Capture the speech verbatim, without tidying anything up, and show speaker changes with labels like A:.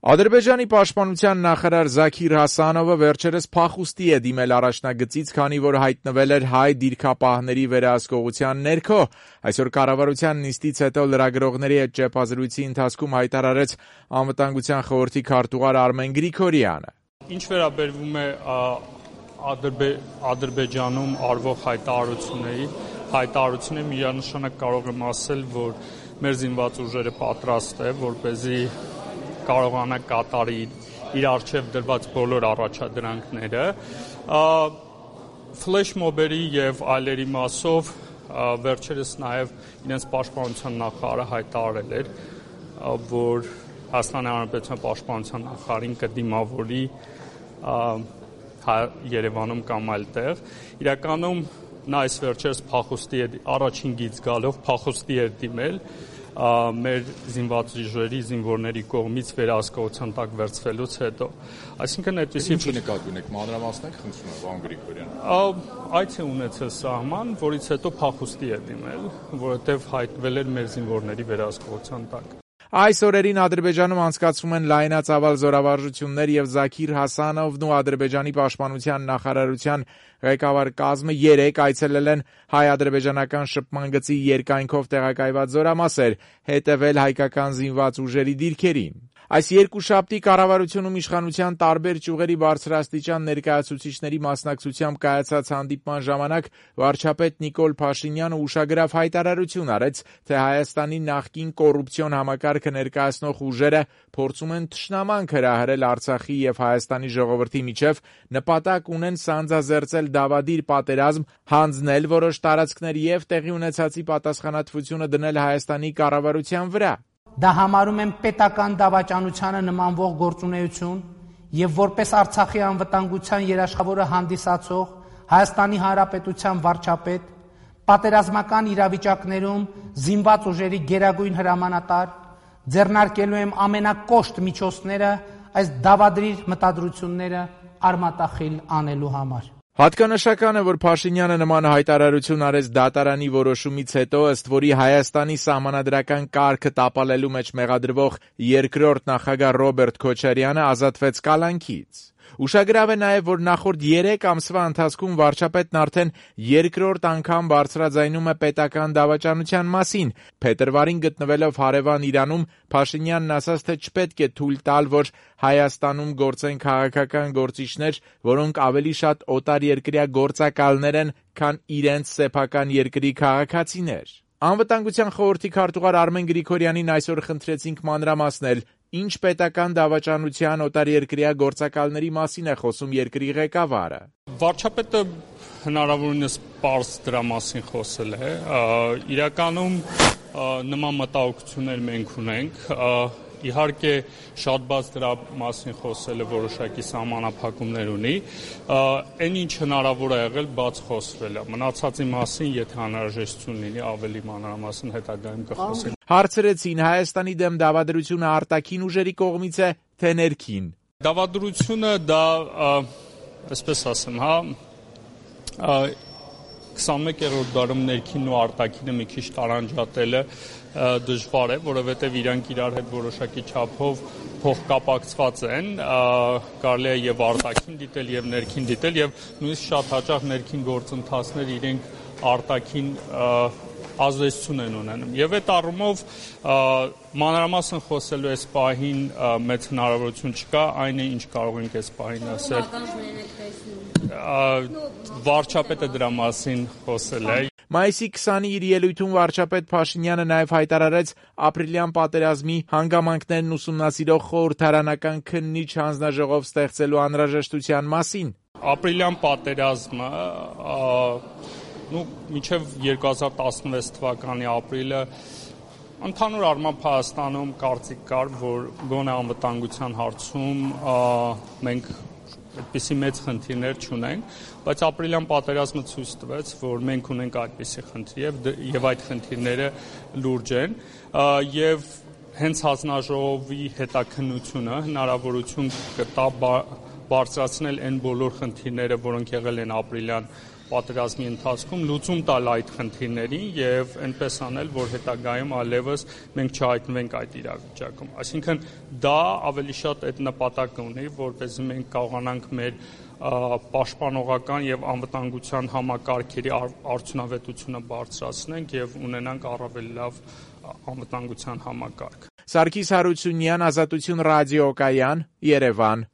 A: Ադրբեջանի պաշտպանության նախարար Զաքիր Հասանովը վերջերս փախուստի է դիմել առաջնագծից, քանի որ հայտնվել էր հայ դիրքապահների վերահսկողության ներքո։ Այսօր կառավարության նիստից հետո լրագրողների հետ ճեպազրույցի ընթացքում հայտարարեց Անվտանգության խորհրդի քարտուղար Արմեն Գրիգորյանը։
B: Ինչ վերաբերվում է Ադրբեջանում արվող հայտարարությունների, հայտարարությունները միանշանակ կարող եմ ասել, որ մեր զինված ուժերը պատրաստ է, որպեսզի կարողանա կատարի իր առջև դրված բոլոր առաջադրանքները։ Ֆլեշ մոբերի եւ այլերի մասով վերջերս նաեւ իրենց պաշտպանության նախարարը հայտարարել էր, որ Հայաստանի Հանրապետության պաշտպանության նախարարին կդիմավորի Երևանում կամ այլտեղ։ Իրականում նա այս վերջերս փախուստի առաջին գիծ գալով փախուստի էր դիմել մեր զինված ուժերի զինվորների կողմից վերահսկողության տակ վերցվելուց հետո։ Այսինքն այդպեսի
C: Ինչ նկատի ունեք, մանրամասնեք, խնդրում եմ, պարոն Գրիգորյան։
B: Այդ է ունեցել սահման, որից հետո փախուստի է դիմել, որովհետև հայտնվել էր մեր զինվորների վերահսկողության տակ։
A: Այս օրերին Ադրբեջանում անցկացվում են լայնածավալ զորավարժություններ եւ Զաքիր Հասանովն ու Ադրբեջանի պաշտպանության նախարարության ղեկավար կազմը երեք այցելել են հայ-ադրբեջանական շփման գծի երկայնքով տեղակայված զորամասեր, հետևել հայկական զինված ուժերի դիրքերին։ Այս երկուշաբթի կառավարությունում իշխանության տարբեր ճյուղերի բարձրաստիճան ներկայացուցիչների մասնակցությամբ կայացած հանդիպման ժամանակ վարչապետ Նիկոլ Փաշինյանը ուշագրավ հայտարարություն արեց, թե Հայաստանի նախկին կոռուպցիոն համակարգը ներկայացնող ուժերը փորձում են թշնամանք հրահրել Արցախի եւ Հայաստանի ժողովրդի միջև, նպատակ ունեն սանձազերծել դավադիր պատերազմ, հանձնել որոշ տարածքներ եւ տեղի ունեցածի պատասխանատվությունը դնել Հայաստանի կառավարության վրա։
D: Դա համարում եմ պետական դավաճանությանը նմանվող գործունեություն եւ որպես Արցախի անվտանգության երաշխավորը հանդիսացող Հայաստանի Հանրապետության վարչապետ պատերազմական իրավիճակներում զինված ուժերի գերագույն հրամանատար ձեռնարկելու եմ ամենակոշտ միջոցները այս դավադրիր մտադրությունները արմատախիլ անելու համար։
A: Հատկանշական է, որ Փաշինյանը նման հայտարարություն արեց դատարանի որոշումից հետո, ըստ որի Հայաստանի սահմանադրական կարգը տապալելու մեջ մեղադրվող երկրորդ նախագահ Ռոբերտ Քոչարյանը ազատվեց կալանքից։ Ուշագրավ է նաև, որ նախորդ երեք ամսվա ընթացքում վարչապետն արդեն երկրորդ անգամ բարձրաձայնում է պետական դավաճանության մասին։ Փետրվարին գտնվելով հարևան Իրանում, Փաշինյանն ասաց, թե չպետք է թույլ տալ, որ Հայաստանում գործեն քաղաքական գործիչներ, որոնք ավելի շատ օտարերկրյա գործակալներ են, քան իրենց սեփական երկրի քաղաքացիներ։ Անվտանգության խորհրդի քարտուղար Արմեն Գրիգորյանին այսօր խնդրեցինք մանրամասնել, ինչ պետական դավաճանության օտարերկրյա գործակալների մասին է խոսում երկրի ղեկավարը։
B: Վարչապետը հնարավորինս պարզ դրա մասին խոսել է։ Իրականում նման մտահոգություններ մենք ունենք։ Իհարկե շատ բաց դրա մասին խոսելը որոշակի սահմանափակումներ ունի, այն ինչ հնարավոր է եղել բաց խոսվել է, մնացածի մասին, եթե անհրաժեշտություն լինի, ավելի մանրամասն հետագայում կխոսենք։
A: Հարցրեցին Հայաստանի դեմ դավադրությունը արտաքին ուժերի կողմից է, թե ներքին։
B: Դավադրությունը դա, այսպես ասեմ, հա, քսանմեկերորդ դարում ներքինն ու արտաքինը մի քիչ տարանջատելը դժվար է, որովհետև իրանք իրար հետ որոշակի չափով փոխկապակցված են, կարելի է եւ արտաքին դիտել եւ ներքին դիտել եւ նույնիսկ շատ հաճախ ներքին գործընթացներ իրենք արտաքին ազդեցություն են ունենում։ Եվ այդ առումով մանրամասն խոսելու այս պահին մեծ հնարավորություն չկա, այն է ինչ կարող ենք այս պահին ասել։ Վարչապետը դրա մասին խոսել է։
A: Մայիսի քսանի իր ելույթում վարչապետ Փաշինյանը նաև հայտարարեց ապրիլյան պատերազմի հանգամանքներն ուսումնասիրող խորհրդարանական քննիչ հանձնաժողով ստեղծելու անհրաժեշտության մասին։
B: Ապրիլյան պատերազմը նու մինչև երկու հազար տասնվեց թվականի ապրիլը ընդհանուր առմամբ Հայաստանում կարծիք կար, որ գոնե անվտանգության հարցում մենք այդպիսի մեծ խնդիրներ չունենք, բայց ապրիլյան պատերազմը ցույց տվեց, որ մենք ունենք այդպիսի խնդիր եւ այդ խնդիրները լուրջ են եւ հենց հանձնաժողովի հետաքննությունը հնարավորություն կտա բարձրացնել այն բոլոր խնդիրները, որոնք եղել են ապրիլյան պատերազմի ընթացքում լուծում տալ այդ խնդիրներին եւ այնպես անել, որ հետագայում այլևս մենք չհայտնվենք այդ իրավիճակում։ Այսինքն դա ավելի շատ այդ նպատակը ունի, որպեսզի մենք կարողանանք մեր պաշտպանողական եւ անվտանգության համակարգերի արդյունավետությունը բարձրացնենք եւ ունենանք առավել լավ անվտանգության համակարգ։
A: Սարգիս Հարությունյան, Ազատություն ռադիոկայան, Երևան։